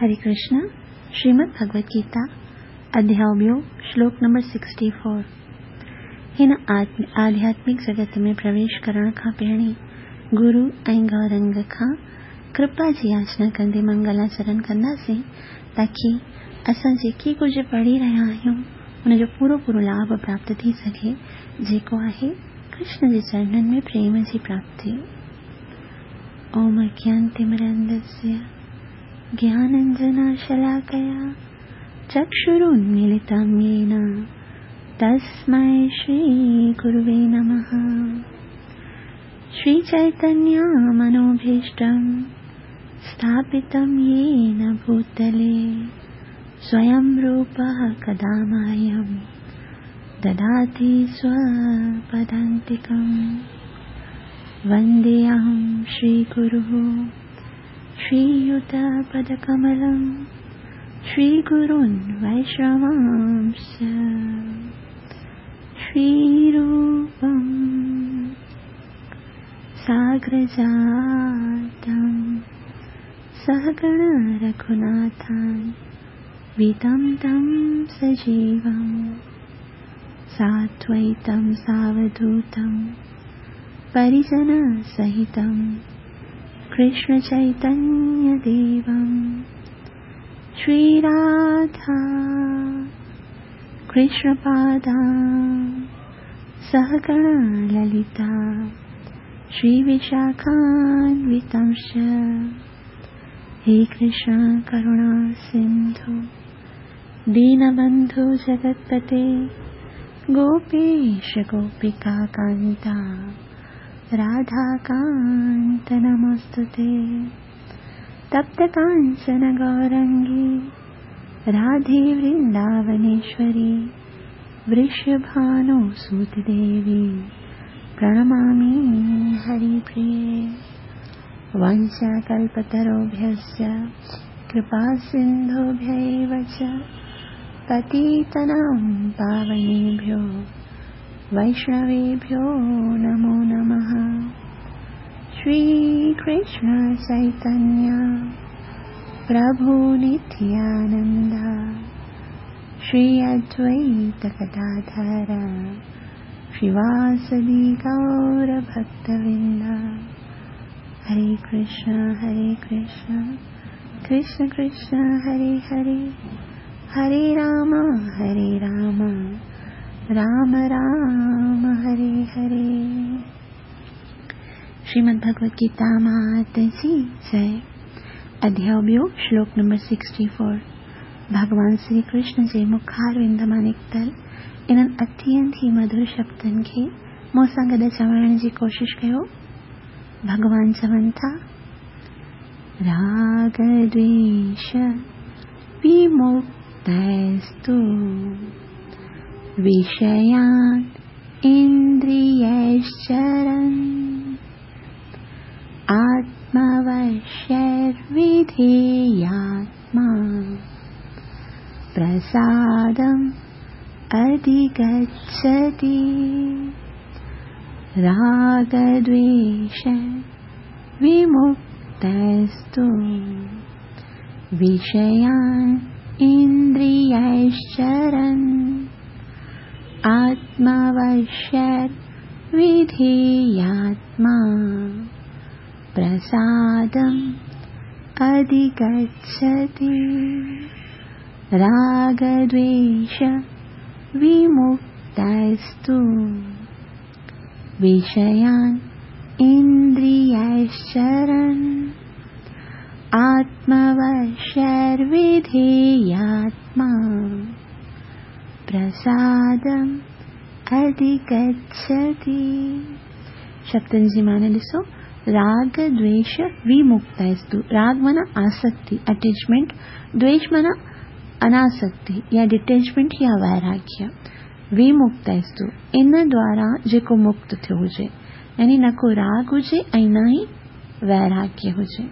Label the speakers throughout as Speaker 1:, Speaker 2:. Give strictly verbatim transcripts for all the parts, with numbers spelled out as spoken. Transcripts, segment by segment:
Speaker 1: हरे कृष्ण। श्रीमद् भगवत गीता अध्याय ॿियो श्लोक नंबर सिक्सटी फोर। हिन आध्यात्मिक जगत में प्रवेश करण खां पहिरीं गुरु ऐं गौरंग खां कृपा जी याचना कंदे मंगलाचरण कंदासीं ताकी असां जेके कुझु पढ़ी रहिया आहियूं उनजो पूरो पूरो लाभ प्राप्त थी सघे, जेको आहे कृष्ण जे चरणनि में प्रेम जी प्राप्ति। ओम अज्ञानतिमिरान्धस्य ज्ञानाञ्जनशलाकया चक्षुरुन्मीलितं येन तस्मै श्रीगुरुवे नमः। श्रीचैतन्यमनोभीष्टं स्थापितं येन भूतले स्वयं रूपः कदा मह्यं ददाति स्वपदान्तिकं। वन्देऽहं श्रीगुरुः श्रीयुतपदकमलं श्रीगुरून् वैष्णवांश्च श्रीरूपं साग्रजातं सहगण रघुनाथान् वितं तं सजीवं साद्वैतं सावधूतं परिजनसहितं कृष्णचैतन्यदेवं श्रीराधा कृष्णपादां सहगण ललिता श्रीविशाखान्वितांश्च। हे कृष्ण करुणा सिन्धु दीनबन्धु जगत्पते गोपेश गोपिका कान्ता राधाकान्त नमोऽस्तुते। तप्त काञ्चन गौरङ्गी राधे वृन्दावनेश्वरी वृषभानुसुतदेवी प्रणमामि हरिप्रिये। वाञ्छाकल्पतरुभ्यश्च कृपासिन्धुभ्य एव च पतितानां पावनेभ्यो वैष्णवेभ्यो नमो नमः। श्रीकृष्ण चैतन्य प्रभु नित्यानन्द श्री अद्वैत गदाधर श्रीवासदि गौरभक्तवृन्द। हरे कृष्ण हरे कृष्ण कृष्ण कृष्ण हरे हरे, हरे राम हरे राम राम राम हरे हरे। श्रीमद् भगवत गीता मात जी जय। अध्याय ॿियो श्लोक नंबर सिक्सटी फोर। भॻवान श्री कृष्ण जे मुखारविंद मां निकितल इन्हनि अत्यंत ई मधुर शब्दनि खे मूंसां गॾु चवण जी कोशिशि कयो। भॻवान चवनि था, राग द्वेष विमुक्तस्तु विषयान् इन्द्रियैश्चरन् आत्मवश्यैर्विधेयात्मा प्रसादम् अधिगच्छति। रागद्वेष विमुक्तस्तु विषयान् इन्द्रियैश्चरन् आत्मवश्यैर्विधेयात्मा प्रसादम् अधिगच्छति। रागद्वेष विमुक्तस्तु विषयान् इन्द्रियैश्चरन् आत्मवश्यैर्विधेयात्मा प्रसादम् अधिगच्छति। शब्दनि जी माना ॾिसो, राग द्वेष विमुक्तस्तु। राग माना आसक्ति अटैचमेंट, द्वेष माना अनासक्ति या डिटेचमेंट या वैराग्य। विमुक्तस्तु इन द्वारा जेको मुक्त थियो हुजे, यानी न को राग हुजे ऐं न ई वैराग्य हुजे।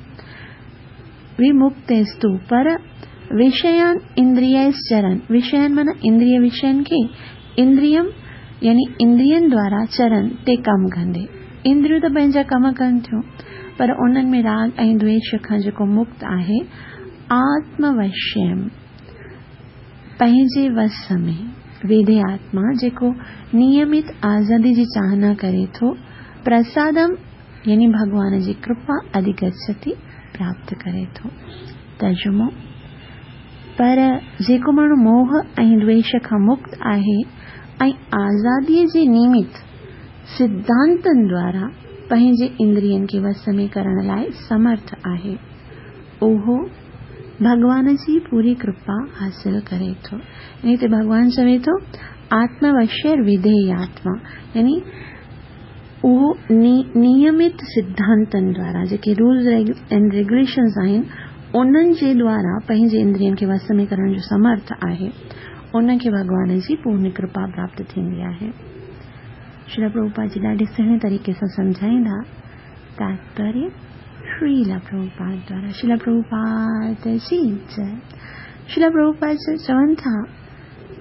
Speaker 1: विमुक्तस्तु पर विषयान इंद्रियैश्चरन्, विषयान माना इंद्रिय विषयनि खे, इंद्रियम यानी इंद्रियनि द्वारा चरन ते कमु कंदे। इंद्रियूं त पंहिंजा कम कनि थियूं पर उन्हनि में राग ऐं द्वेष खां जेको मुक्त आहे, आत्मवश्यम पंहिंजे वस में वेदे आत्मा जेको नियमित आज़ादी जी चाहना करे थो, प्रसादम यानी भॻवान जी कृपा अधिगच्छति प्राप्त करे थो। तर्जुमो: पर जेको माण्हू मोह ऐं द्वेष खां मुक्त आहे ऐं आज़ादीअ जे नियमित सिद्धांतनि द्वारा पंहिंजे इंद्रियनि खे वस में करण लाइ समर्थ आहे, उहो भॻवान जी पूरी कृपा हासिल करे थो। यानी हिते भॻवान चवे थो आत्मवश्य विधेय आत्मा, यानी उहो नियमित सिद्धांतनि द्वारा जेके रूल्स एंड रेगुलेशंस आहिनि उन्हनि जे द्वारा पंहिंजे इंद्रियनि खे वस में करण जो समर्थ आहे, उनखे भॻवान जी पूर्ण कृपा प्राप्त थींदी आहे। श्रील प्रभुपाद जी ॾाढे सुहिणे तरीक़े सां सम्झाईंदा। तात्पर्य श्रील प्रभुपाद द्वारा। श्रील प्रभुपाद जी जय। श्रील प्रभुपाद चवनि था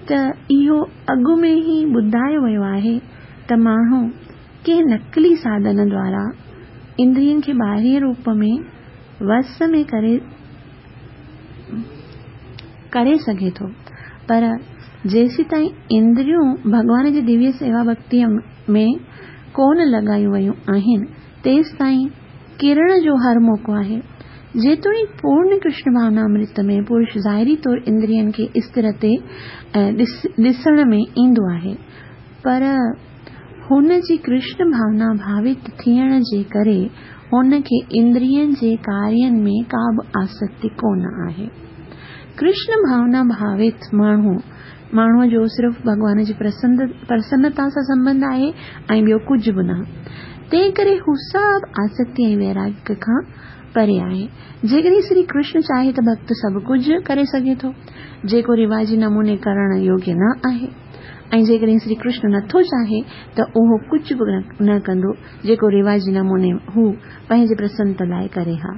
Speaker 1: त इहो अॻु में ई ॿुधायो वियो आहे त माण्हू कंहिं नक़ली साधन द्वारा इंद्रियनि खे ॿाहिरीं रूप में वस में करे करे सघे थो, पर जेसीं ताईं इंद्रियूं भॻवान जी दिव्य सेवा भक्तीअ में कोन लॻायूं वयूं आहिनि, तेसि ताईं किरण जो हर मौक़ो आहे। जेतोणीकि पूर्ण कृष्ण भावनामृत में पुरुष ज़ाहिरी तौर इंद्रियनि खे स्थिर ते ॾिसण में ईंदो आहे, पर हुन जी कृष्ण भावना भावित थियण जे करे हुनखे इंद्रियनि जे कार्यनि में का बि आसक्ति कोन आहे। कृष्ण भावना भावित माण्हू माण्हूअ जो सिर्फ़ु भॻवान जी प्रसन्नता सां संबंध आहे ऐं ॿियो कुझु बि न, तंहिं करे हू सभु आसक्ति ऐं वैराग्य खां परे आहे। जेकॾहिं श्री कृष्ण चाहे त भक्त सभु कुझु करे सघे थो, जेको रिवाजी नमूने करण योग्य न आहे, ऐं जेकॾहिं श्री कृष्ण नथो चाहे त उहो कुझु बि न कंदो जेको रिवाजी नमूने हू पंहिंजे प्रसन्नता लाइ करे हा।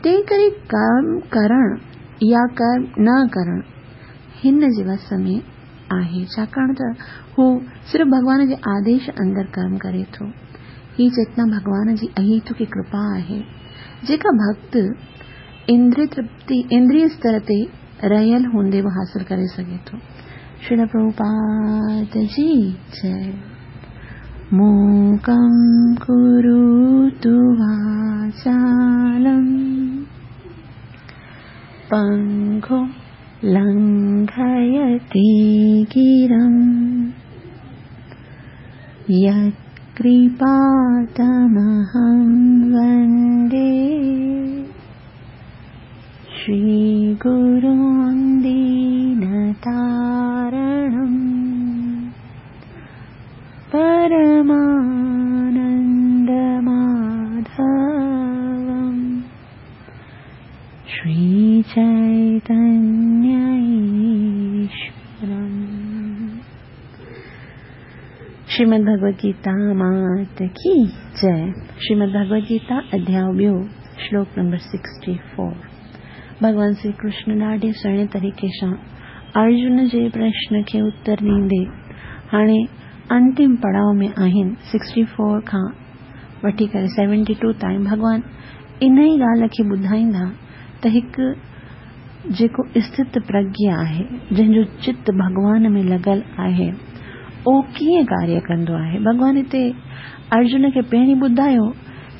Speaker 1: तंहिं करे कर्म करण या कर्म न करण हिन जे वस में आहे, छाकाणि त हू सिर्फ़ु भॻवान जे आदेश अंदरि कर्म करे थो। ही चेतना भॻवान जी अहेतुकी कृपा आहे, जेका भक्त इंद्रिय तृप्ति इंद्रिय स्तर ते रहियल हूंदे बि हासिल करे सघे थो। श्रील प्रभुपाद जी जय। मूकं करोतु वाचालं पङ्गुं लङ्घयते गिरिं यत्कृपातमहं वन्दे श्रीगुरुं दीनतारणं परमानन्दमाधवं श्रीचैतन्यईश्वरम्। श्रीमद् भगवद गीता मात की जय। श्रीमद् भगवद गीता अध्याय ॿियो, श्लोक नंबर सिक्सटी फोर। भॻवान श्री कृष्ण ॾाढे सुहिणे तरीक़े सां अर्जुन जे प्रश्न खे उत्तर ॾींदे हाणे अंतिम पड़ाव में आहिनि। सिक्सटी फोर खां वठी करे सेवेंटी टू ताईं भॻवान इन ई ॻाल्हि खे ॿुधाईंदा त हिकु जेको स्थित प्रज्ञ आहे, जंहिंजो चित भॻवान में लॻल आहे, उहो कीअं कार्य कंदो आहे। भॻवान हिते अर्जुन खे पहिरीं ॿुधायो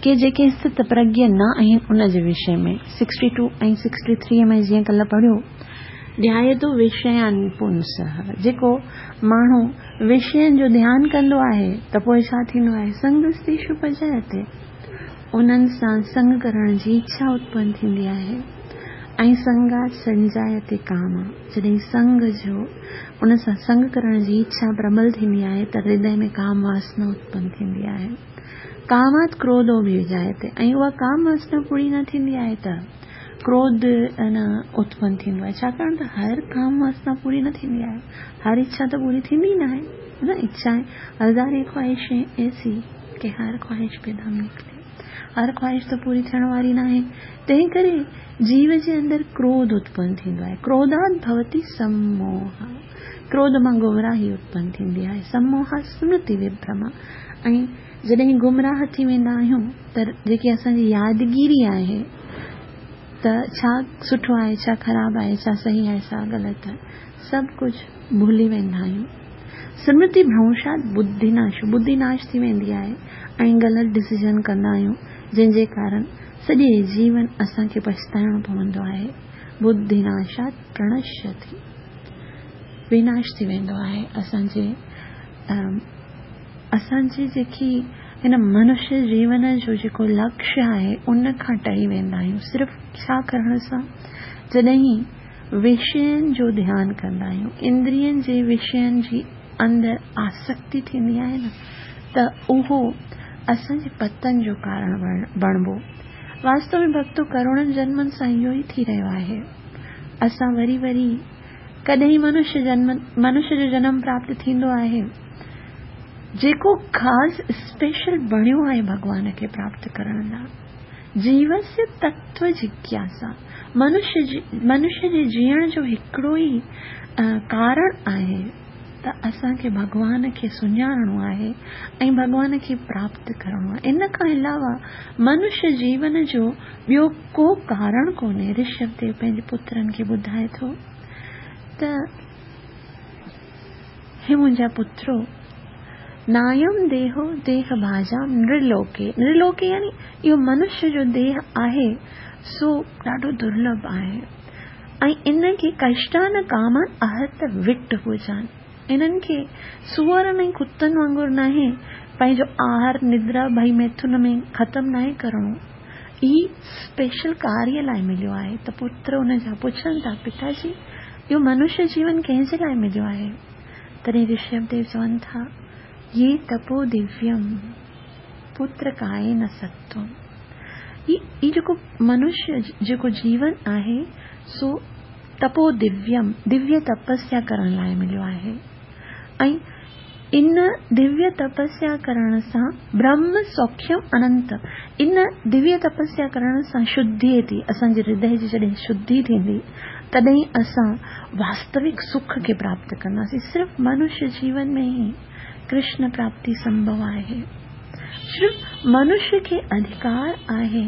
Speaker 1: कि जेके स्थित प्रज्ञ न आहिनि उन जे विषय में सिक्सटी टू ऐं सिक्सटी थ्री में जीअं कल्ह पढ़ियो, ध्यायतो विषयानि पुंसः, जेको माण्हू विषयनि जो ध्यानु कंदो आहे त पोइ छा थींदो आहे, संगस्तेषु उपजायते, उन्हनि सां संग करण जी इच्छा उत्पन्न थींदी आहे। ऐं संगात संजायते काम, जॾहिं संग जो उन सां संग करण जी इच्छा प्रबल थींदी आहे त हृदय में काम वासना उत्पन्न थींदी आहे। कामात क्रोधो बि जायते, ऐं उहा काम वासना पूरी न थींदी आहे त क्रोध न उत्पन्न थींदो आहे, छाकाणि त हर काम वासना पूरी न थींदी आहे, हर इच्छा त पूरी थींदी न आहे न। इच्छाएं हज़ारे ख्वाहिशें ऐसी कि हर ख्वाहिश पे दम निकिरे, हर ख्वाहिश त पूरी थियण वारी न आहे। तंहिं करे जीव जे अंदरि क्रोध उत्पन्न थींदो आहे। क्रोधात भवति सम्मोह, क्रोध मां गुमराही उत्पन्न थींदी आहे। सम्मोह स्मृति विभ्रम, ऐं जॾहिं गुमराह थी वेंदा आहियूं त जेकी असांजी यादगिरी आहे त छा सुठो आहे, छा ख़राब आहे, छा सही आहे, छा ग़लति आहे, सभु कुझु भुली वेंदा आहियूं। स्मृति भ्रंशात बुद्धिनाश, बुद्धिनाश थी वेंदी आहे ऐं ग़लति डिसीजन कंदा आहियूं, जंहिंजे कारण सॼे जीवन असांखे पछताइणो पवंदो आहे। बुद्धिनाशात प्रणश्यति, विनाश थी वेंदो आहे असांजे असांजी जेकी हिन मनुष्य जीवन जो जेको लक्ष्य आहे उन खां टरी वेंदा आहियूं। सिर्फ़ छा करण सां, जॾहिं विषयनि जो ध्यानु कंदा आहियूं, इंद्रियनि जे विषयनि जी अंदरि आसक्ति थींदी आहे न, त उहो असांजे पतन जो कारण बणिबो। वास्तव में भक्तो, करोड़नि जन्मनि सां इहो ई थी रहियो आहे। असां वरी वरी कॾहिं मनुष्य जन्म, मनुष्य जो जन्म प्राप्त थींदो आहे, जेको ख़ासि स्पेशल बणियो आहे भॻवान खे प्राप्त करण लाइ। जीवस्य तत्व जिज्ञासा, मनुष्य जी, मनुष्य जे जीअण जो हिकिड़ो ई कारण आहे त असांखे भॻवान खे सुञाणणो आहे ऐं भॻवान खे प्राप्त करणो आहे। इन खां अलावा मनुष्य जीवन जो ॿियो को कारण कोन्हे। ऋषभदेव पंहिंजे पुत्रनि खे ॿुधाए थो त हे मुंहिंजा पुत्रो, नायम देहो देह भाजाम नृलोके। नृलोके यानी इहो मनुष्य जो देह आहे सो ॾाढो दुर्लभ आहे ऐं इन खे कष्टान कामान अहत विट हुजनि। इन्हनि खे सूअरनि ऐं कुतनि वांगुरु नाहे पंहिंजो आहार निद्रा भई मैथुन में ख़तमु नाहे करिणो। ई स्पेशल कार्य लाइ मिलियो आहे। त पुत्र उन जा पुछनि था, पिताजी इहो मनुष्य जीवन कंहिंजे लाइ मिलियो आहे? तॾहिं ऋषभदेव चवनि था, ये तपो दिव्यम पुत्र काए न सत्वम। ही जेको मनुष्य जेको जीवन आहे सो तपो दिव्यम, दिव्य तपस्या करण लाइ मिलियो आहे ऐं इन दिव्य तपस्या करण सां ब्रह्म सौख्यम अनंत, इन दिव्य तपस्या करण सां शुद्धि थी, असांजे हृदय जी जॾहिं शुद्धि थींदी तॾहिं असां वास्तविक सुख खे प्राप्त कंदासीं। सिर्फ़ मनुष्य जीवन में ई कृष्ण प्राप्ति संभव आहे। सिर्फ़ मनुष्य खे अधिकार आहे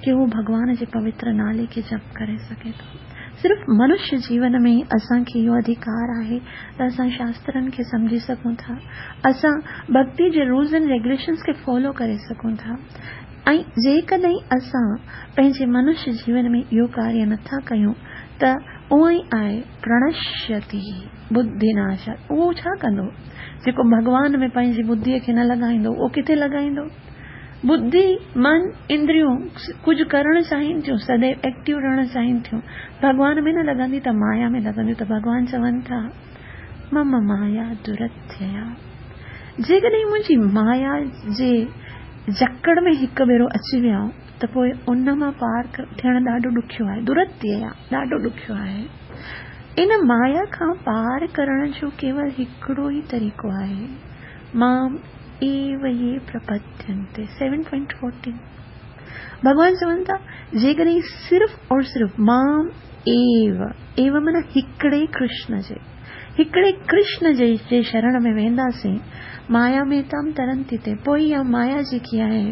Speaker 1: कि उहो भॻवान जे पवित्र नाले खे जप करे सघे थो। सिर्फ़ मनुष्य जीवन में ई असांखे इहो अधिकार आहे त असां शास्त्रनि खे सम्झी सघूं था, असां भक्ति जे रूल्स एंड रेगुलेशंस खे फॉलो करे सघूं था। ऐं जेकॾहिं असां पंहिंजे मनुष्य जीवन में इहो कार्य नथा कयूं त उहो ई आहे प्रणश्यति बुद्धिनाश। उहो छा कंदो? जेको भॻवान में पंहिंजी बुद्धिअ खे न लॻाईंदो उहो किथे लॻाईंदो? बुद्धि, मन, इंद्रियूं कुझु करणु चाहिनि थियूं, सदैव एक्टिव रहणु चाहिनि थियूं, भॻवान में न लॻंदी त माया में लॻंदियूं। त भॻवान चवनि था, मम माया दुरत्यया। जेकॾहिं मुंहिंजी माया जे जकड़ में हिकु भेरो अची विया त पोइ उन मां पार थियणु ॾाढो ॾुखियो आहे। दुरत्यया ॾाढो ॾुखियो आहे। इन माया खां पार करण जो केवल हिकिड़ो ई तरीक़ो आहे, माम एव ये प्रपद्यन्ते। सेवन पॉइंट फोर्टीन भॻवान चवनि था, जेकॾहिं सिर्फ़ और सिर्फ़ माम एव, एव माना हिकिड़े कृष्ण जे, हिकिड़े कृष्ण जे जे शरण में वेंदासीं, माया में तम तरंती ते, पोइ इहा माया जेकी आहे,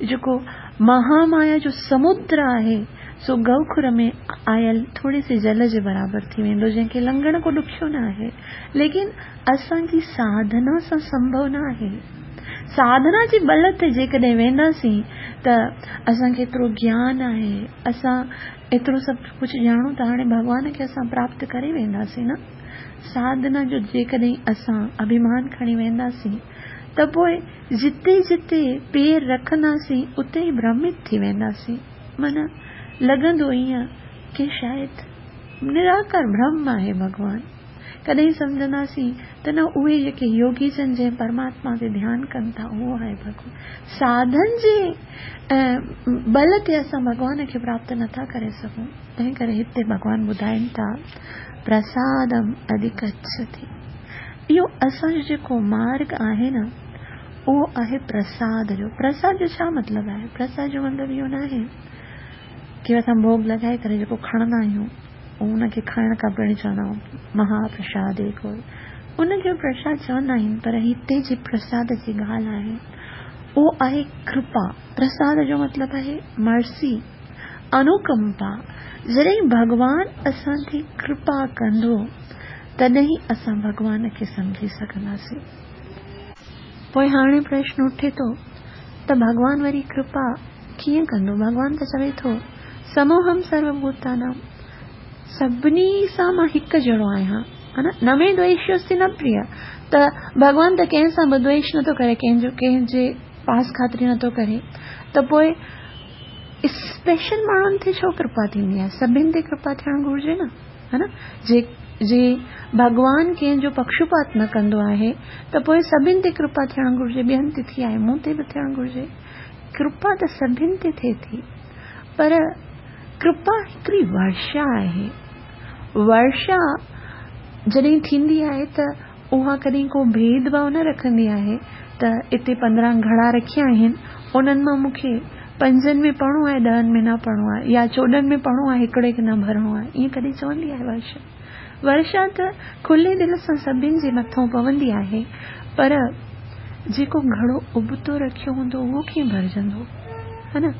Speaker 1: जेको महामाया जो समुद्र आहे सो गौखुर में आयल थोड़े से जल जे बराबरि थी वेंदो, जंहिंखे लंघणु को ॾुखियो न आहे। लेकिन असांजी साधना सां संभव न आहे। साधना जी बल ते जेकॾहिं वेंदासीं त असांखे एतिरो ज्ञान आहे, असां एतिरो सभु कुझु ॼाणूं था, हाणे भॻवान खे असां प्राप्त करे वेंदासीं न। साधना जो जेकॾहिं असां अभिमान खणी वेंदासीं त पोइ जिते जिते पेर रखंदासीं उते ई भ्रमित थी वेंदासीं। माना लॻंदो ईअं की शायदि निराकार ब्रह्म आहे भॻवान। कॾहिं सम्झंदासीं त न उहे जेके योगी जन जंहिं परमात्मा ते ध्यानु कनि था उहो आहे भॻवान। साधन जे बल ते असां भॻवान खे प्राप्त नथा करे सघूं। तंहिं करे हिते भॻवान ॿुधाइनि था, प्रसादम अधिगच्छति। इहो असांजो जेको मार्ग आहे न उहो आहे प्रसाद जो। प्रसाद जो छा मतिलबु आहे? प्रसाद जो मतिलबु इहो न आहे की असां भोग लॻाए करे जेको खणंदा आहियूं उनखे खाइण खां पहिरीं चवंदा आहियूं महाप्रसाद को, उनखे प्रसाद चवंदा आहिनि। पर हिते जी प्रसाद जी ॻाल्हि आहे उहो आहे कृपा। प्रसाद जो मतिलबु आहे मर्सी, انوڪمپا. جڏهن ڀڳوان اسان تي ڪرپا ڪندو تڏهن اسان ڀڳوان کي سمجهي سگهنداسين. پوءِ هاڻي پرشن اٿي ٿو ته ڀڳوان وري ڪرپا ڪيئن ڪندو؟ ڀڳوان ته چوي ٿو سموهم سروڀوتانام، سڀني سان مان هڪ جهڙو آهيان، ها نه؟ نه ۾ دويشوستي نه پريه. ته ڀڳوان ته ڪنهن سان به دويش نٿو ڪري، ڪنهن جو ڪنهن جي پاس خاطري نٿو ڪري، ته پوءِ اسپيشل ماڻهن تي ڇو ڪرپا ٿيندي آهي؟ سڀني تي ڪرپا ٿيڻ گهرجي نه، ها نه؟ جي جي ڀڳوان ڪنهن جو پڪشپات نه ڪندو آهي ته پوءِ سڀني تي ڪرپا ٿيڻ گهرجي. ٻين تي ٿي آهي، مون تي به ٿيڻ گهرجي. ڪرپا ته سڀني تي ٿئي ٿي، پر ڪرپا هڪڙي ورشا آهي. ورشا جڏهن ٿيندي آهي ته اها ڪڏهن ڪو ڀيد ڀاو نه رکندي آهي ته هتي پندرهن گهڙا رکيا آهن، انهن مان مون کي پنجن ۾ پڙهڻو آهي، ڏهن ۾ نه پڙهڻو آهي، يا چوڏهن ۾ پڙهڻو آهي، هڪڙي کي نه ڀرڻو آهي. ائين ڪڏهن چوندي آهي ورشا؟ ورشا ته کلي دل سان سڀني جي مٿان پوندي آهي، پر جيڪو گهڙو ابتو رکيو هوندو اهو ڪيئن ڀرجندو، ها نه؟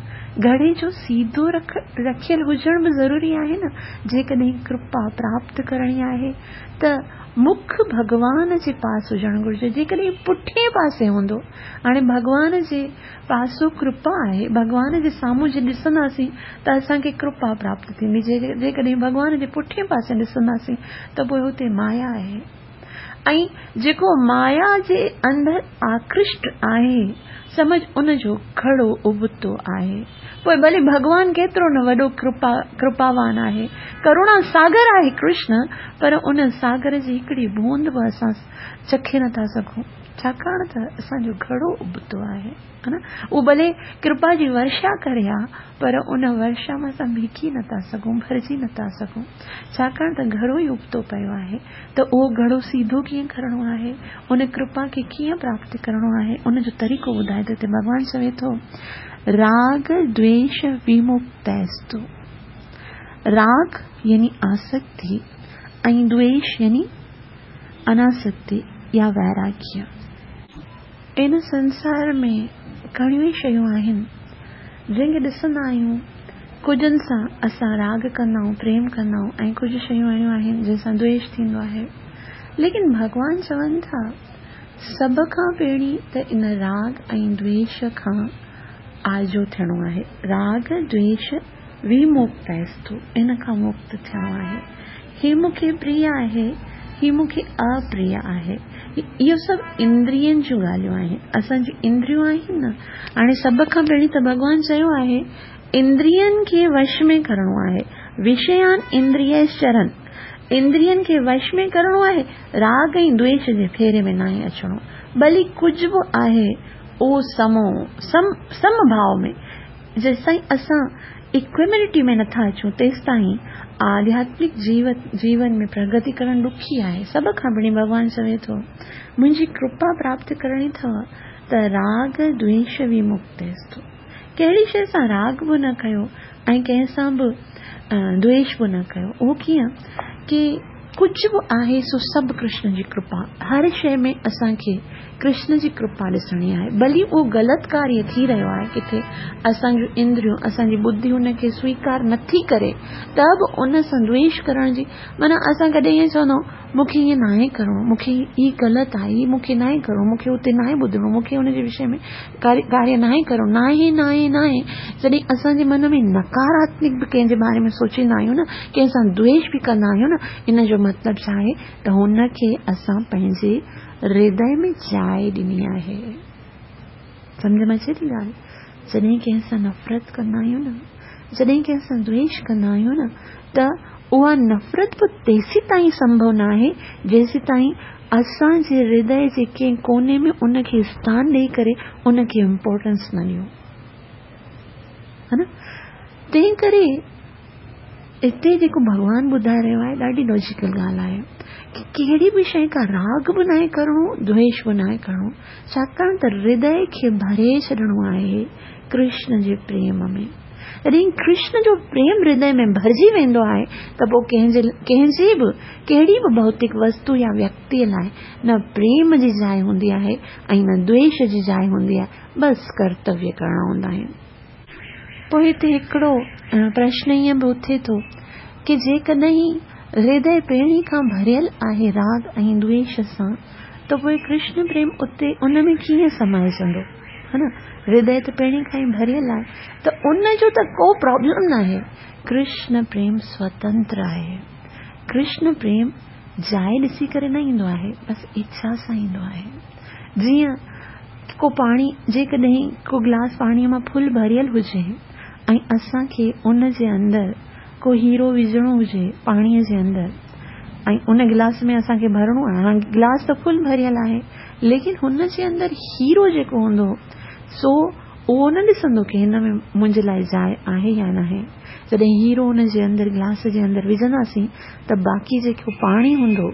Speaker 1: گهڙي جو سيڌو رک رکيل هجڻ به ضروري آهي نه. جيڪڏهن ڪرپا پراپت ڪرڻي آهي ته مک ڀڳوان جي پاس هجڻ گهرجي. جيڪڏهن پٺئين پاسي هوندو، هاڻي ڀڳوان جي پاسو ڪرپا آهي، ڀڳوان جي سامهون جي ڏسنداسين ته اسان کي ڪرپا پراپت ٿيندي. جيڪڏهن ڀڳوان جي پٺئين پاسي ڏسنداسين ته پوءِ هتي مايا آهي، ۽ جيڪو مايا جي اندر آڪرشٽ آهي سمجهه ان جو گهڙو ابتو آهي. پوءِ ڀلي ڀڳوان ڪيترو نه وڏو ڪرپا ڪرپاوان آهي، ڪروڻا ساگر آهي ڪرشن، پر ان ساگر جي هڪڙي بوند به اسان چکي نٿا سگهون، ڇاڪاڻ ته اسان جو گهڙو ابتو آهي، ها نه؟ اهو ڀلي ڪرپا جي ورشا ڪري ها، پر ان ورشا مان اسان ڀيڪي نٿا سگهون، ڀرجي نٿا سگهون، ڇاڪاڻ ته گهڙو ئي ابتو پيو آهي. ته اهو گهڙو سيڌو ڪيئن ڪرڻو آهي، ان ڪرپا کي ڪيئن پراپت ڪرڻو آهي، ان جو طريقو ٻڌائي ٿو. هتي ڀڳوان چوي ٿو راڳ دويش ومڪتستو. راڳ يعني آسڪتي ۽ دويش يعني اناسڪتي يا ويراگيه. ان سنسار ۾ گهڻيون ئي شيون آهن جنهن کي ڏسندا آهيون، ڪجهن سان اسان راڳ ڪندا آهيون، پريم ڪندا آهيون، ۽ ڪجهه شيون اهڙيون آهن جنهن سان دويش ٿيندو آهي. ليڪن ڀڳوان چون ٿا سڀ کان پهرين ته ان راڳ ۽ دويش کان آجو ٿيڻو آهي. راڳ دويش ومڪتستو، ان کان مڪت ٿيڻو آهي. هي مون کي پريه آهي، هي مون کي اپريه آهي. اهو سڀ اندرين جون ڳالهيون آهن، اسان جون اندريون آهن نه. هاڻي سڀ کان پهرين ته ڀڳوان چيو آهي اندرين کي وش ۾ ڪرڻو آهي. وشيان اندريشچرن، اندرين کي وش ۾ ڪرڻو آهي، راڳ ۽ دويش جي ڦيري ۾ ناهي اچڻو. ڀلي ڪجهه به آهي اهو سمو سم سم ڀاو ۾، جيس تائين اسان اڪويمنٽي ۾ نٿا اچون تيس تائين آڌياتمڪ جيو جيون ۾ پرگتي ڪرڻ ڏکي آهي. سڀ کان پهرين ڀڳوان چوي ٿو منهنجي ڪرپا پراپت ڪرڻي اٿو ته راڳ دويش ومڪتستو. ڪهڙي شيءِ سان راڳ به نه ڪيو ۽ ڪنهن سان به دويش به نه ڪيو. اهو ڪيئن ڪه ڪجهه به آهي سو سڀ ڪرشن جي ڪرپا. هر شيءِ ۾ اسان کي ڪرشن جي ڪرپا ڏسڻي آهي. ڀلي اهو غلط ڪاريه ٿي رهيو آهي، ڪٿي اسان جون اندريون اسان جي ٻڌي هن کي سويڪار نٿي ڪري، ته به ان سان دويش ڪرڻ جي معنيٰ اسان ڪڏهن ائين چوندا آهيون مون کي ائين ناهي ڪرڻو، مون کي هي غلط آهي، هي مون کي ناهي ڪرڻو، مون کي هتي ناهي ٻڌڻو، مون کي هن جي وشي ۾ ڪاريه ناهي ڪرڻو، ناهي ناهي ناهي. جڏهن اسان جي من ۾ نڪاراتمڪ به ڪنهن جي باري ۾ سوچيندا آهيون نه، ڪنهن سان دويش به ڪندا آهيون نه، ان جو مطلب ڇا آهي ته هن کي اسان پنهنجي هردي ۾ جاءِ ڏني آهي. سمجهه ۾ اچي ٿي ڳالهه؟ جڏهن ڪنهن سان نفرت ڪندا آهيون نه، جڏهن ڪنهن سان دويش ڪندا آهيون نه، ته اها نفرت به تيسين تائين سنڀو نه آهي جيسين تائين اسان جي هردي جي ڪنهن ڪوني ۾ ان کي اسٿان ڏيئي ڪري ان کي امپورٽنس نه ڏيون، ها نه؟ تنهن ڪري هتي جيڪو ڀڳوان ٻڌائي رهيو آهي ڏاڍي لاجيڪل ڳالهه آهي ڪه ڪهڙي به شيءِ کان راڳ به ناهي ڪرڻو، دويش به ناهي ڪرڻو، ڇاڪاڻ ته هردي کي ڀري ڇڏڻو آهي ڪرشن جي پريم ۾. جڏهن ڪرشن جو پريم هردي ۾ ڀرجي ويندو آهي ته پوءِ ڪنهن جي ڪنهن جي به ڪهڙي به ڀوتڪ وستو يا ويڪتيءَ لاءِ نه پريم جي جاءِ هوندي آهي ۽ نه دويش جي جاءِ هوندي آهي. بس ڪرتويه ڪرڻا هوندا آهن. पोइ हिते हिकिड़ो प्रश्न ईअं बि उथे थो की जेकॾहिं हृदय पहिरीं खां भरियल आहे राग ऐं द्वेष सां, त पोइ कृष्ण प्रेम उते उन में कीअं समाइजंदो, हा न? हृदय त पहिरीं खां ई भरियल आहे, त उनजो त को प्रॉब्लम न आहे। कृष्ण प्रेम स्वतंत्र आहे। कृष्ण प्रेम जाइ ॾिसी करे न ईंदो आहे, बसि इच्छा सां ईंदो आहे। जीअं को पाणी, जेकॾहिं को ग्लास पाणीअ मां फुल भरियल हुजे ऐं असांखे उन जे अंदरि को हीरो विझणो हुजे पाणीअ जे अंदरि, ऐं उन गिलास में असांखे भरिणो आहे, हाणे गिलास त फुल भरियल आहे, लेकिन हुन जे अंदरि हीरो जेको हूंदो सो उहो न ॾिसंदो की हिन में मुंहिंजे लाइ जाइ आहे या न आहे। जॾहिं हीरो हुन जे अंदरि गिलास जे अंदरि विझंदासीं त बाक़ी जेको पाणी हूंदो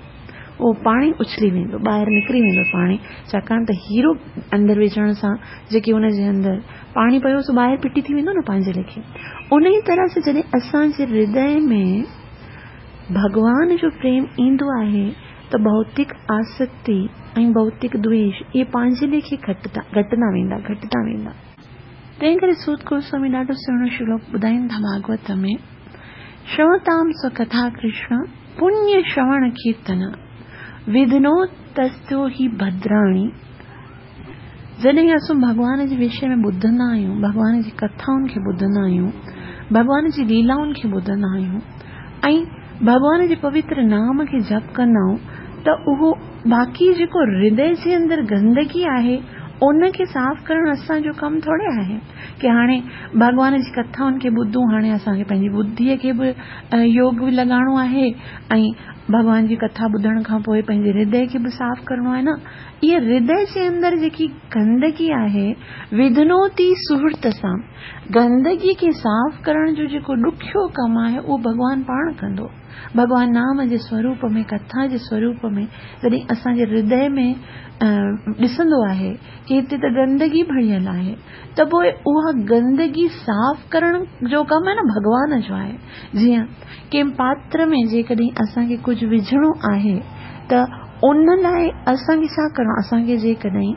Speaker 1: उहो पाणी उछली वेंदो, ॿाहिरि निकिरी वेंदो पाणी, छाकाणि त हीरो अंदरि विझण सां जेके हुन जे अंदरि पाणी पियो सो ॿाहिरि पिटी थी वेंदो न पंहिंजे लेखे। उन ई तरह सां जॾहिं असांजे हृदय में भॻवान जो प्रेम ईंदो आहे त भौतिक आसक्ति ऐं भौतिक द्वेष इहे पंहिंजे लेखे घटंदा वेंदा घटंदा वेंदा। तंहिं करे सूत गोस्वामी ॾाढो सुहिणो श्लोक ॿुधाइनि था भागवत में, श्रवताम स्वकथा कृष्ण पुण्य श्रवण कीर्तन विघ्नो तस्यो ही भद्राणी। जॾहिं असां भॻवान जे विषय में ॿुधंदा आहियूं, भॻवान जी कथाउनि खे ॿुधंदा आहियूं, भॻवान जी लीलाउनि खे ॿुधंदा आहियूं ऐं भॻवान जे पवित्र नाम खे जप कंदा आहियूं, त उहो बाक़ी जेको हृदय जे अंदरि गंदगी आहे उनखे साफ़ करणु असांजो कमु थोरे आहे की हाणे भॻवान जी कथाउनि खे ॿुधूं, हाणे असांखे पंहिंजी बुद्धिअ खे बि योग लॻाइणो आहे ऐं भॻवान जी कथा ॿुधण खां पोइ पंहिंजे हृदय खे बि साफ़ करिणो आहे न। इहा हृदय जे अंदरि जेकी गंदगी आहे, विघ्नोती सुहृत सां गंदगी खे साफ़ करण जो जेको ॾुखियो कमु आहे उहो भॻवान पाण कंदो। भॻवान नाम जे स्वरूप में, कथा जे स्वरूप में जॾहिं असांजे हृदय में ॾिसंदो आहे की हिते त गंदगी भरियल आहे, त पोइ उहा गंदगी साफ़ करण जो कमु आहे न भॻवान जो आहे। जीअं कंहिं पात्र में जेकॾहिं असांखे कुझु विझणो आहे त उन लाइ असांखे छा करिणो, असांखे जेकॾहिं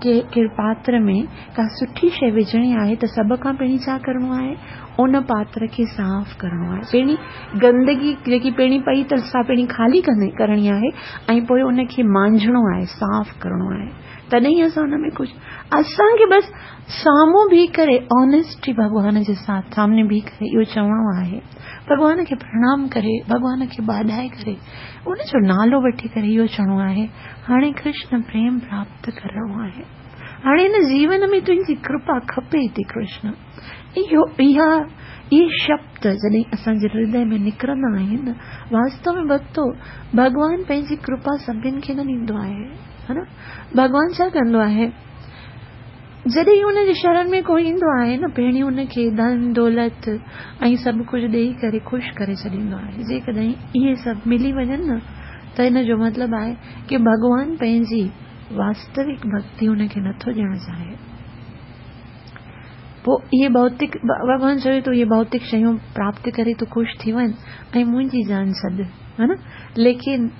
Speaker 1: के कंहिं पात्र में का सुठी शइ विझणी आहे त सभ खां पहिरीं छा करिणो आहे, उन पात्र खे साफ़ करिणो आहे। पहिरीं गंदगी जेकी पहिरीं पई अथसि सा पहिरीं ख़ाली करणी आहे ऐं पोइ उनखे मांझणो आहे, साफ़ करिणो आहे, तॾहिं असां हुन में कुझु असांखे बसि साम्हूं बीह करे ऑनेस्टी भॻवान जे साथ सामने बीह करे इहो चवणो आहे, भॻवान खे प्रणाम करे, भॻवान खे बाॾाए करे उनजो नालो वठी करे इहो चवणो आहे, हाणे कृष्ण प्रेम प्राप्त करिणो आहे, हाणे हिन जीवन में तुंहिंजी कृपा खपे थी कृष्ण। इहो इहा इहे शब्द जॾहिं असांजे हृदय में निकिरंदा आहिनि, वास्तव में भक्तो भॻवान पंहिंजी कृपा सभिनी खे न ॾींदो आहे, हा न। भॻवान छा कंदो आहे, जॾहिं हुनजे शरण में कोई ईंदो आहे न, पहिरीं हुनखे धन दौलत ऐं सभु कुझु ॾेई करे ख़ुशि करे छॾींदो आहे। जेकॾहिं इहे सभु मिली वञनि न त हिन जो मतिलबु आहे की भॻवान पंहिंजी वास्तविक भक्ति हुनखे नथो ॾियणु चाहे। पोइ इहे भौतिक भॻवान चवे थो इहे भौतिक शयूं प्राप्त करे तूं ख़ुशि थी वञ ऐं मुंहिंजी जान छॾ, हा न। लेकिन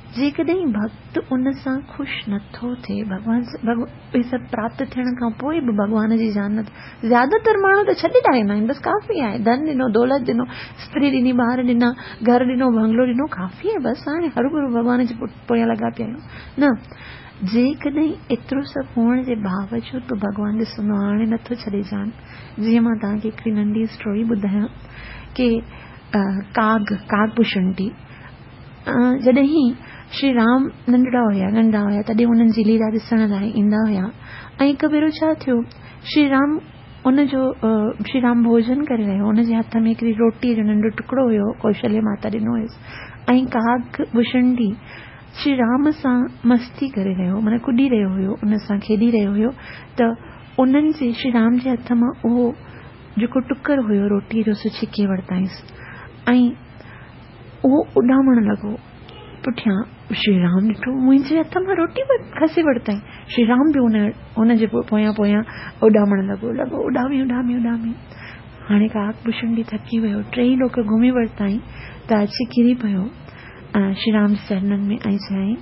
Speaker 1: जेकॾहिं भक्त उन सां ख़ुशि नथो थिए, भॻवान इहे सभु प्राप्त थियण खां पोइ बि भॻवान जी जान न, ज़्यादातर माण्हू त छॾी था वेंदा आहिनि, बसि काफ़ी आहे, धन ॾिनो, दौलत ॾिनो, स्त्री ॾिनी, ॿार ॾिना, घर ॾिनो, बंगलो ॾिनो, काफ़ी आहे, बसि हाणे हर गुरू भॻवान जे पोयां लॻा पिया आहियूं न। जेकॾहिं एतिरो सभु हुअण जे बावजूद बि भॻवान ॾिसंदो हाणे नथो छॾे जान। जीअं मां तव्हांखे हिकिड़ी नंढी स्टोरी ॿुधायां की काग कागभूषणी जॾहिं श्री राम नंढड़ा हुया नंढा हुया तॾहिं उन्हनि जी लीला ॾिसण लाइ ईंदा हुया ऐं हिकु भेरो छा थियो, श्री राम उनजो श्री राम भोजन करे रहियो, हुनजे हथ में हिकिड़ी रोटीअ जो नंढो टुकड़ो हुयो, कौशल्य माता ॾिनो हुयुसि, ऐं कागभूषणी श्री राम सां मस्ती करे रहियो, माना कुॾी रहियो हुयो, उन सां खेॾी रहियो हुयो, त उन्हनि जे श्री राम जे हथ मां उहो जेको टुकर हुयो रोटीअ जो सो छिके वरिताईंसि ऐं उहो उॾामण लॻो। पुठियां श्री राम ॾिठो मुंहिंजे हथ मां रोटी खसे वरिताई, श्री राम बि उन हुनजे पोयां पोयां उॾामण लॻो लॻो उॾामी उॾामी उॾामी। हाणे काकभूषणी थकी वियो, टेई लोक घुमी वरिताई त अची किरी पियो श्री राम जे चरणनि में ऐं चयाईं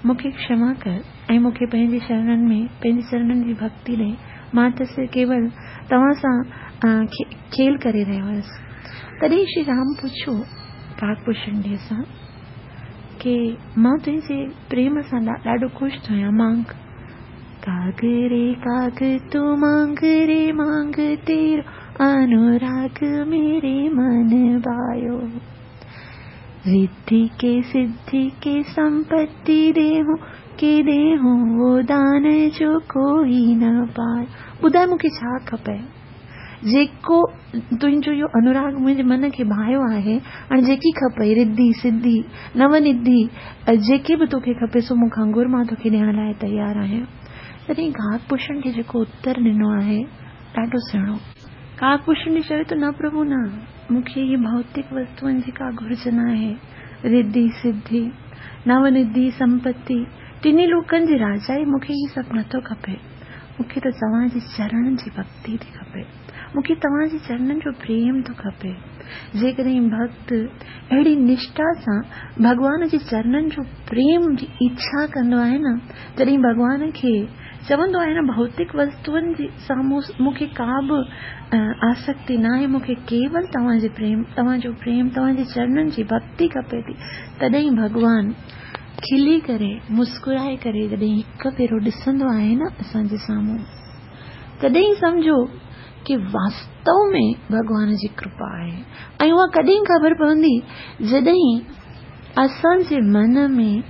Speaker 1: मूंखे क्षमा कर ऐं मूंखे पंहिंजे चरणनि में पंहिंजे चरणनि जी भक्ति ॾे, मां त केवल तव्हां सां खेल करे रहियो हुयुसि। तॾहिं श्री राम पुछियो काकभूषणी सां की मां तुंहिंजे प्रेम सां ॾाढो ख़ुशि थो आहियां, मांग। काग रे काग तू मांग रे मांग, तेरो अनुराग मेरे मन भायो। रिद्धि के सिद्धि के संपत्ति देहूं के देहूं वो दान जो कोई न पाए। ॿुधाए मूंखे छा खपे, जेको तुंहिंजो इहो अनुराग मुंहिंजे मन खे भायो आहे, हाणे जेकी खपे रिद्धि सिद्धि नवनिधि जेकी बि तोखे खपे सो मूंखां घुर, मां तोखे ॾियण लाइ तयारु आहियां। तॾहिं काकभूषण खे जेको उत्तर ॾिनो आहे ॾाढो सुहिणो। काकभूषण चयो त न प्रभु न, मूंखे इहे भौतिक वस्तुअनि जी का घुर्ज न आहे। रिद्धि सिद्धि नवनिधि संपत्ति टिन्ही लोकनि जी राजाई मूंखे इहे सभु नथो खपे। मूंखे त तव्हांजे चरणनि जी भक्ति थी खपे, मूंखे तव्हांजे चरणनि जो प्रेम थो खपे। जेकॾहिं भक्त अहिड़ी निष्ठा सां भॻवान जे चरणनि जो प्रेम जी इच्छा कंदो आहे न, तॾहिं भॻवान खे चवंदो आहे न, भौतिक वस्तुअनि जी साम्हूं मूंखे का बि आसक्ति न आहे, मूंखे केवल तव्हांजे प्रेम, तव्हांजो प्रेम, तव्हांजे चरणनि जी भक्ति खपे थी। तॾहिं भॻवान खिली करे मुस्कुराए करे जॾहिं हिकु फेरो ॾिसंदो आहे न असांजे साम्हूं, तॾहिं सम्झो की वास्तव में भॻवान जी कृपा आहे। ऐं उहा कॾहिं ख़बर पवंदी जॾहिं असांजे मन में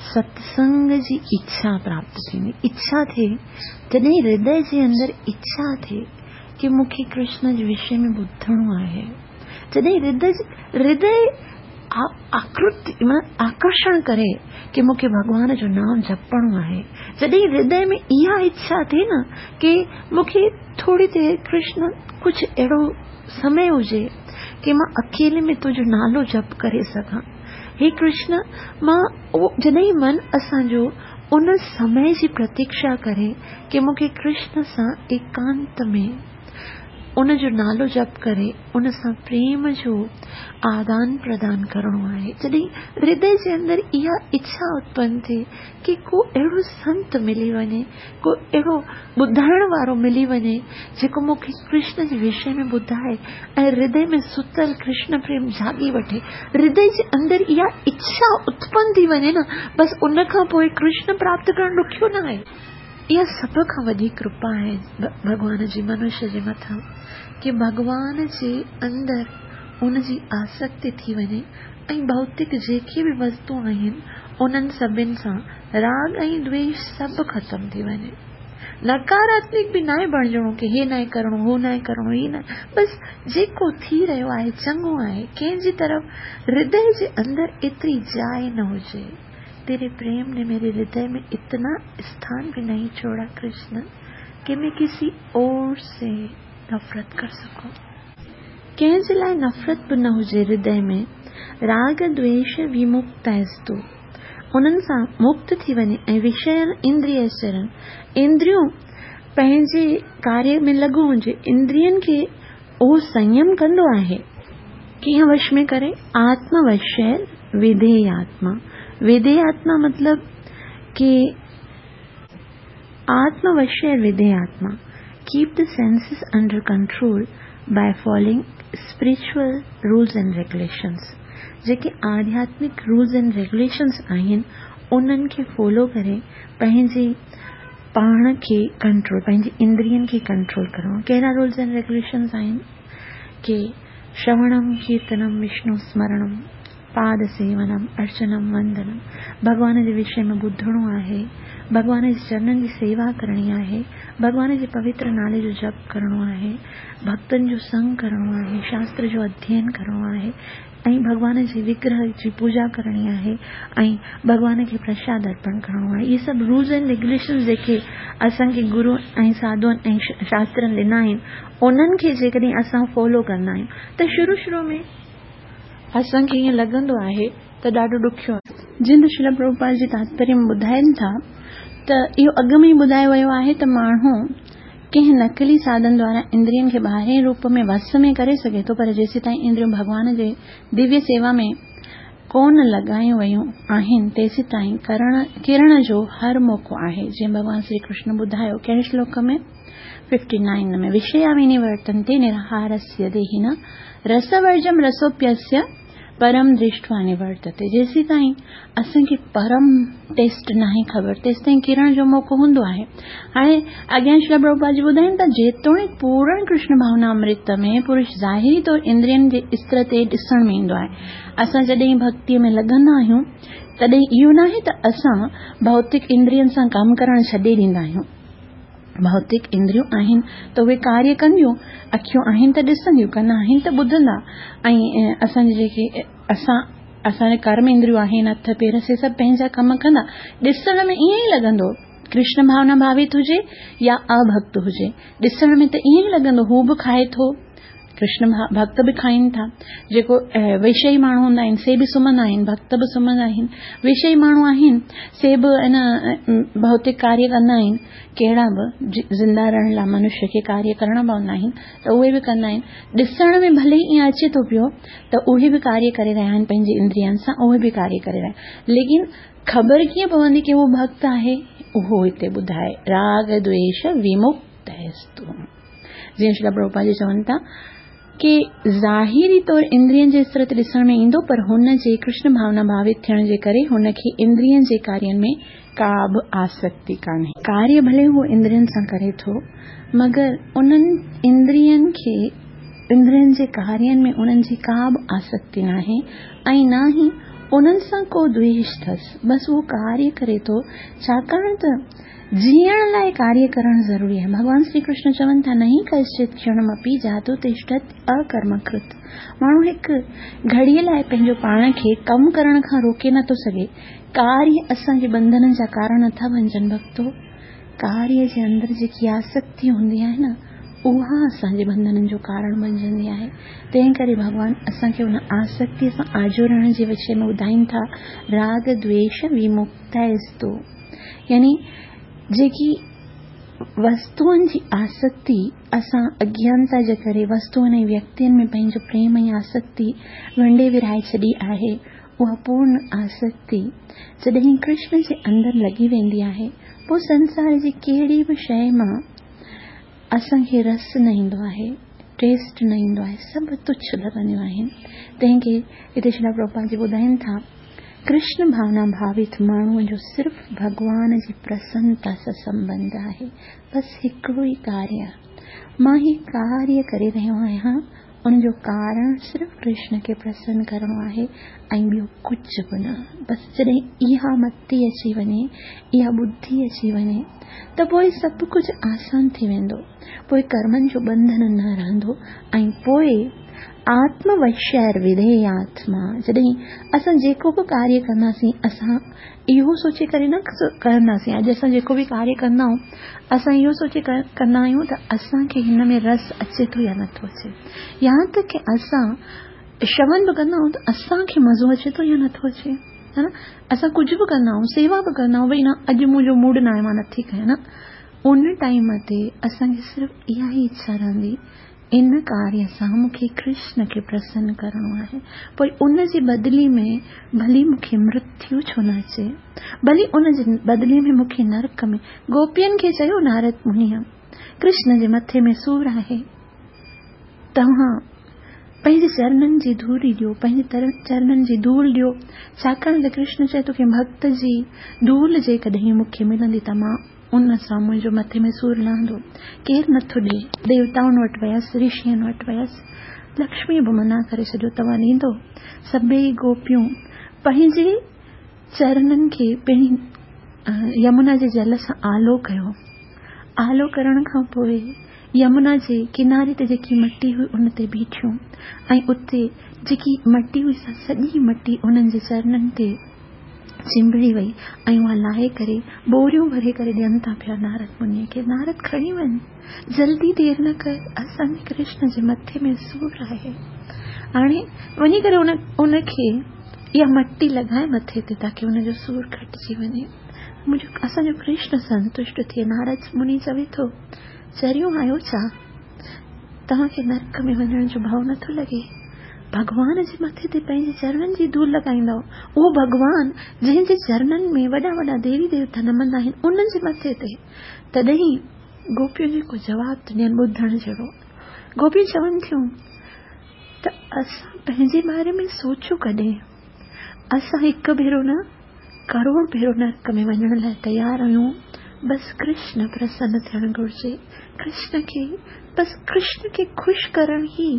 Speaker 1: सत्संग जी इच्छा प्राप्त थींदी, इच्छा थिए, जॾहिं हृदय जे अंदरि इच्छा थिए की मूंखे कृष्ण जे विषय में ॿुधणो आहे, जॾहिं हृदय हृदय आकृति आकर्षण करे की मूंखे भॻवान जो नाम जपणो आहे, जॾहिं हृदय में इहा इच्छा थिए न की मूंखे थोरी देरि कृष्ण कुझु अहिड़ो समय हुजे की मां अकेले में तुंहिंजो नालो जप करे सघां, हे कृष्ण मां उहो जॾहिं मन असांजो उन समय जी प्रतीक्षा करे की मूंखे कृष्ण सां एकांत में उन जो नालो जप करे उन सां प्रेम जो आदान प्रदान करणो आहे, जॾहिं हृदय जे अंदरि इहा इच्छा उत्पन्न थिए की को अहिड़ो संत मिली वञे, को अहिड़ो ॿुधाइण वारो मिली वञे जेको मूंखे कृष्ण जे विषय में ॿुधाए ऐं हृदय में सुतल कृष्ण प्रेम जाॻी वठे, हृदय जे अंदरि इहा इच्छा उत्पन्न थी वञे न, बसि उन खां पोइ कृष्ण प्राप्त करणु ॾुखियो न आहे। इहा सभ खां वॾी कृपा आहे भॻवान जी मनुष्य जे मथां की भॻवान जे अंदरि उनजी आसक्ति थी वञे ऐं भौतिक जेके बि वस्तु आहिनि उन्हनि सभिनि सां राग ऐं द्वेष सभु ख़तमु थी वञे। नकारात्मक बि नाहे बणिजणो की हे नाहे करिणो, हो नाहे करिणो, ही न, बसि जेको थी रहियो आहे चङो आहे, कंहिंजी तरफ़ हृदय जे अंदरि एतिरी जाइ न हुजे। तेरे प्रेम ने मेरे हृदय में इतना स्थान भी नहीं छोड़ा कृष्ण कि मैं किसी और से नफरत कर सकूं। कंहिंजे लाइ नफ़रत बि न हुजे हृदय में, राग द्वेष विमुक्तस्तु, उन्हनि सां मुक्त थी वञे ऐं विषय इंद्रिय चरण, इंद्रियूं पंहिंजे कार्य में लॻो हुजे, इंद्रियनि खे उहो संयम कंदो आहे, कीअं वश में करे? आत्मवश्य विधेय आत्मा। विधेय आत्मा मतलब कि आत्मवश्य विधेय आत्मा, keep the senses under control by following spiritual rules and regulations. जेके आध्यात्मिक रूल्स एंड रेगुलेशंस आहिनि उन्हनि खे फॉलो करे पंहिंजे पाण खे कंट्रोल, पंहिंजी इंद्रियनि खे कंट्रोल करणो। कहिड़ा रूल्स एंड रेगुलेशंस आहिनि? की श्रवणम कीर्तनम विष्णु स्मरणम पाद सेवनम अर्चनम वंदनम, भॻवान जे विषय में ॿुधणो आहे, भॻवान जे चरणनि जी सेवा करणी आहे, भॻवान जे पवित्र नाले जो जप करणो आहे, भक्तनि जो संग करणो आहे, शास्त्र जो अध्ययन करणो आहे ऐं भॻवान जे विग्रह जी पूजा करणी आहे ऐं भॻवान खे प्रसाद अर्पण करणो आहे। इहे सभु रूल्स एंड रेगुलेशंस जेके असांखे गुरू ऐं साधुअनि ऐं शास्त्रनि ॾिना आहिनि उन्हनि खे जेकॾहिं असां फॉलो कंदा आहियूं त शुरू शुरू में असांखे ईअं लॻंदो आहे त ॾाढो ॾुखियो आहे। जिन श्रील प्रभुपाद जी तात्पर्य में ॿुधाइनि था त इहो अॻु में ई ॿुधायो वियो आहे त माण्हू कंहिं नकली साधन द्वारा इंद्रियनि खे ॿाहिरें रूप में वस में करे सघे थो, पर जेसीं ताईं इंद्रियूं भॻवान जे दिव्य सेवा में ڪونه لڳايون ويون آهن، تيسيتائين ڪرڻ جو هر موقعو آهي. جيئن ڀڳوان شري ڪرشن ٻڌايو ڪهڙي شلوڪ ۾؟ ففٽي نائن ۾، وشيا ونورتنتي نرهارस्य ديهن رسورجم رسوپيस्य پرم درشٽوا نورتتي. جيسيتائين اسان کي پرم ٽيسٽ ناهي خبر، تيسيتائين ڪرڻ جو موقعو هوندو آهي. هاڻي اڳيان شريلا پرڀوپاد جي ٻڌائين ٿا، جيتوڻيڪ پورڻ ڪرشن ڀاونا امرت ۾ پرش ظاهري طور اندرين جي استر تي ڏسڻ ۾ ايندو آهي. اسان جڏهن ڀڳتيء ۾ لڳندا آهيون تڏهن اهو ناهي ته اسان ڀوتڪ اندرين سان ڪم ڪرڻ ڇڏي ڏيندا آهيون. ڀوتڪ اندريون آهن ته اهي ڪاريه ڪنديون، اکيون آهن ته ڏسنديون، ڪن آهن ته ٻڌندا، ۽ اسان جي جيڪي اسان اسان جي ڪرم اندريون آهن، هٿ پير، سي سڀ پنهنجا ڪم ڪندا. ڏسڻ ۾ ائين ئي لڳندو، ڪرشن ڀاونا ڀاوت هجي يا اڀڪت هجي، ڏسڻ ۾ ته ائين ئي لڳندو هو به کائي ٿو، ڪرشن ڀڪت به کائين ٿا، جيڪو وشئي ماڻهو هوندا آهن سي به سمهندا آهن، ڀڪت به سمهندا آهن، وشئي ماڻهو آهن سي به ان ڀوتڪ ڪاريه ڪندا آهن، ڪهڙا به زنده رهڻ لاء منشيه کي ڪاريه ڪرڻا پوندا آهن ته اهي به ڪندا آهن. ڏسڻ ۾ ڀلي ائين اچي ٿو پيو ته اهي به ڪاريه ڪري رهيا آهن، پنهنجي اندرين سان اهي به ڪاريه ڪري رهيا آهن، ليڪن خبر ڪيئن پوندي ڪه اهو ڀڪت آهي؟ اهو هتي ٻڌائي، راڳ دويش ومڪتستو. جيئن شريلا پرڀوپاد جي چون ٿا ڪه ظاهري طور اندرين جي استر تي ڏسڻ ۾ ايندو، پر هن جي ڪرشن ڀاونا ڀاوت ٿيڻ جي ڪري هن کي اندرين جي ڪارين ۾ ڪا به آسڪتي ڪانهي. ڪاريه ڀلي هو اندرين سان ڪري ٿو، مگر انهن اندرين کي اندرين جي ڪارين ۾ انهن جي ڪا به آسڪتي ناهي ۽ نه ئي انهن سان ڪو دويش اٿس. بس اهو ڪاريه ڪري ٿو، ڇاڪاڻ ته جيئڻ لاءِ ڪاريه ڪرڻ ضروري آهي. ڀڳوان شري ڪرشن چون ٿا، نهي ڪشچت ڪشڻمپي جاتو تشٺت اڪرمڪرت. ماڻهو هڪ گهڙيءَ لاءِ پنهنجو پاڻ کي ڪم ڪرڻ کان روڪي نٿو سگهي. ڪاريه اسان جي ٻنڌنن جا ڪارڻ نٿا بڻجن ڀڳتو. ڪاريه جي اندر جيڪي آسڪتي هوندي آهي نه، اها اسان جي ٻنڌنن جو ڪارڻ بڻجندي آهي. تنهن ڪري ڀڳوان اسان کي ان آسڪتيءَ سان آجو رهڻ جي وشي ۾ ٻڌائين ٿا، راڳ دويش ومڪتستو. يعني جيڪي وستوئن جي آسڪتي اسان اگيانتا جي ڪري وستوئن ۽ ويڪتين ۾ پنهنجو پريم ۽ آسڪتي ونڊي ورهائي ڇڏي آهي، اها پورڻ آسڪتي جڏهن ڪرشن جي اندر لڳي ويندي آهي، پوءِ سنسار جي ڪهڙي به شيءِ مان اسان کي رس نه ايندو آهي، ٽيسٽ نه ايندو آهي، سڀ تڇ لڳنديون آهن. تنهن کي هتي شريلا پرڀوپاد جي ٻڌائين ٿا، ڪرشن ڀاونا ڀاوت ماڻهوءَ جو صرف ڀڳوان جي پرسنتا سان سنٻنڌ آهي. بس هڪڙو ئي ڪاريه، مان هي ڪاريه ڪري رهيو آهيان، ان جو ڪارڻ صرف ڪرشن کي پرسن ڪرڻو آهي ۽ ٻيو ڪجهه به نه. بس جڏهن اها متي اچي وڃي، اها ٻڌي اچي وڃي، ته پوءِ سڀ ڪجهه آسان ٿي ويندو. پوءِ ڪرمن جو ٻنڌن نه رهندو ۽ پوءِ آتموشير وڌي آتما. جڏهن اسان جيڪو به ڪاريه ڪنداسين، اسان اهو سوچي ڪري نه ڪنداسين. اڄ اسان جيڪو به ڪاريه ڪندا آهيون، اسان اهو سوچي ڪندا آهيون ته اسان کي هن ۾ رس اچي ٿو يا نٿو اچي، يا ته ڪه اسان شرون به ڪندا آهيون ته اسان کي مزو اچي ٿو يا نٿو اچي، ها نه؟ اسان ڪجهه به ڪندا آهيون، سيوا به ڪندا آهيون، ڀئي نه اڄ منهنجو موڊ نه آهي، مان نٿي ڪيان نه. ان ٽائيم تي اسان کي صرف اها ئي اڇا رهندي، ان ڪاريه سان مون کي ڪرشن کي پرسن ڪرڻو آهي. پوءِ ان جي بدلي ۾ ڀلي مون کي مرتيو ڇو نه اچي، ڀلي ان جي بدلي ۾ مون کي نرڪ ۾. گوپين کي چيو نارد منيءَ، ڪرشن جي مٿي ۾ سور آهي، توهان پنهنجي چرنن جي ڌوري ڏيو، پنهنجي چرنن جي ڌول ڏيو، ڇاڪاڻ ته ڪرشن چئي ٿو ڪه ڀڪت جي ڌول جيڪڏهن مون کي ملندي ته مان ان سان منهنجو مٿي ۾ سور لهندو. ڪير نٿو ڏئي؟ ديوتائن وٽ ويس، رشين وٽ ويس، لڪشمي به منع ڪري ڇڏيو، توهان ڏيندو؟ سڀئي گوپيون پنهنجي چرنن کي پهرين يمنا جي جل سان آلو ڪيو. آلو ڪرڻ کان پوءِ يمنا جي ڪناري تي جيڪي مٽي هئي ان تي بيٺيون ۽ اتي جيڪي مٽي هئي سا سڄي مٽي انهن جي چرنن تي چنبڙي وئي ۽ اها لاهي ڪري ٻوريون ڀري ڪري ڏين ٿا پيا نارد منيءَ کي. نارد کڻي وڃ، جلدي دير نه ڪر، اسان جي ڪرشن جي مٿي ۾ سور آهي. هاڻي وڃي ڪري ان ان کي اها مٽي لڳائي مٿي تي تاڪه ان جو سور گهٽجي وڃي، منهنجو اسان جو ڪرشن سنتشٽ ٿئي. نارد مني چوي ٿو، چريون آهيو ڇا؟ توهان کي نرڪ ۾ وڃڻ جو ڀؤ نٿو لڳي؟ भॻवान जे मथे ते पंहिंजे चरणनि जी धूल लॻाईंदव। उहो भॻवान जंहिंजे चरणनि में वॾा वॾा देवी देवता नमंदा आहिनि उन्हनि जे मथे ते। तॾहिं गोपियूं जेको जवाबु थो ॾियनि ॿुधण जहिड़ो। गोपियूं चवनि थियूं त असां पंहिंजे बारे में सोचियो कॾहिं? असां हिकु भेरो न करोड़ भेरो नरक में वञण लाइ तयारु आहियूं, बसि कृष्ण प्रसन्न थियणु घुरिजे। कृष्ण खे बसि कृष्ण खे ख़ुशि करणु ई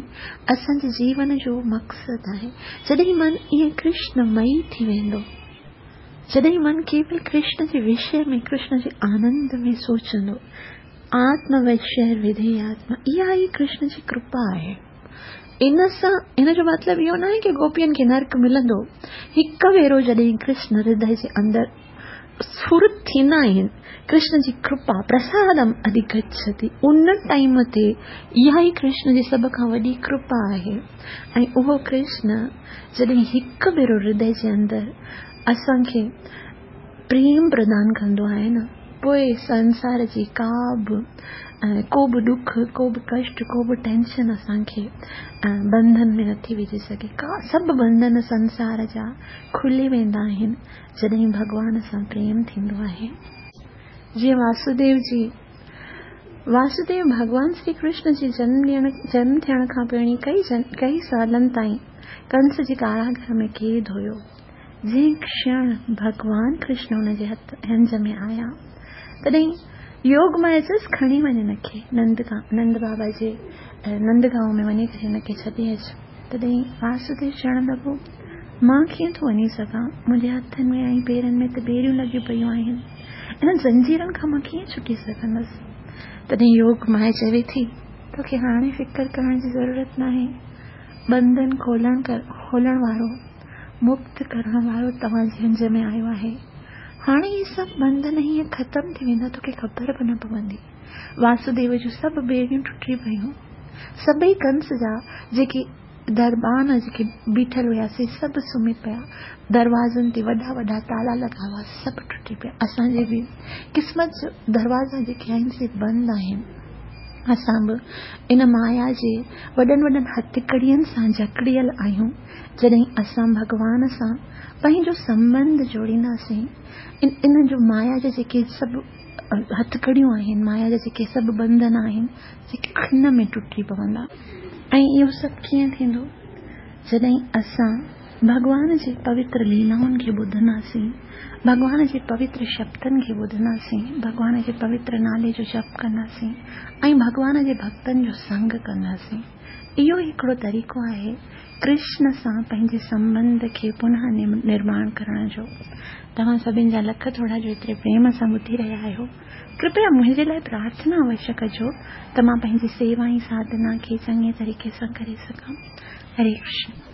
Speaker 1: असांजे जीवन जो मक़सदु आहे। जॾहिं मन ईअं कृष्णमयी थी वेंदो, जॾहिं मन केवल कृष्ण जे विषय में, कृष्ण जे आनंद में सोचंदो, आत्म विषय विधेय आत्मा, इहा ई कृष्ण जी कृपा आहे। इन सां इन जो मतिलबु इहो न आहे की गोपियुनि खे नरक मिलंदो। हिकु भेरो जॾहिं कृष्ण हृदय जे अंदरि स्फुरित थींदा आहिनि, कृष्ण जी कृपा प्रसादम अधिगच्छति, उन टाइम ते इहा ई कृष्ण जी सभ खां वॾी कृपा आहे। ऐं उहो कृष्ण जॾहिं हिकु भेरो हृदय जे अंदरि असांखे प्रेम प्रदान कंदो आहे न, पोइ संसार जी का बि को बि ॾुख, को बि कष्ट, को बि टेंशन असांखे बंधन में नथी विझी सघे। का सभु बंधन संसार जा खुली वेंदा आहिनि जॾहिं भॻवान सां प्रेम थींदो आहे। जीअं वासुदेव जी, वासुदेव भॻवान श्री कृष्ण जे जन्म ॾियण जन्म थियण खां पहिरीं कई कई सालनि ताईं कंस जे कारागार में क़ैद हुयो। जंहिं क्षण भॻवान कृष्ण हुनजे हथ हंज में आया, तॾहिं योग माया चयसि खणी वञ हिनखे नंद नंद बाबा जे नंदगांव में वञी करे हिनखे छॾे अचु। तॾहिं वासुदेव चवणु लॻो, मां कीअं थो वञी सघां? मुंहिंजे हथनि में ऐं पेरनि में त ॿेड़ियूं लॻियूं पयूं आहिनि, इन्हनि ज़ंजीरनि खां मां कीअं छुटी सघंदुसि? तॾहिं योग माया चवे थी, तोखे हाणे फ़िक्र करण जी ज़रूरत न आहे। बंधन खोलण खोलण वारो, मुक्त करण वारो तव्हांजे हंज में आयो आहे। हाणे इहे सभु बंधन हीअं ख़तमु थी वेंदा, तोखे ख़बर बि न पवंदी। वासुदेव जूं सभु ॿेड़ियूं टुटी पयूं, सभई कंस जा जेके दरबान जेके बीठल हुया से सभु सुम्ही पिया, दरवाज़नि ते वॾा वॾा ताला लॻा हुआ, सभु टुटी पिया। असांजे बि क़िस्मत जो दरवाज़ा जेके आहिनि से बंदि आहिनि। असां बि इन माया जे वॾनि वॾनि हथकड़ियुनि सां जकड़ियल आहियूं। जॾहिं असां भॻवान सां पंहिंजो संबंध जोड़ींदासीं, इन इन जो माया जा जेके सभु हथकड़ियूं आहिनि, माया जा जेके सभु बंधन आहिनि, जेके खिन में टुटी पवंदा। ऐं इहो सभु कीअं थींदो? जॾहिं असां भॻवान जे पवित्र लीलाउनि खे ॿुधंदासीं, भॻवान जे पवित्र शब्दनि खे ॿुधंदासीं, भॻवान जे पवित्र नाले जो जप कंदासीं ऐं भॻवान जे भक्तनि जो संग कंदासीं। इहो हिकिड़ो तरीक़ो आहे कृष्ण सां पंहिंजे संबंध खे पुनः निर्माण करण जो। तव्हां सभिनी जा लख थोरा जो एतिरे प्रेम सां ॿुधी रहिया आहियो। कृपया मुंहिंजे लाइ प्रार्थना अवश्य कजो त मां पंहिंजी सेवा ऐं साधना खे चङे तरीक़े सां करे सघां। हरे कृष्ण।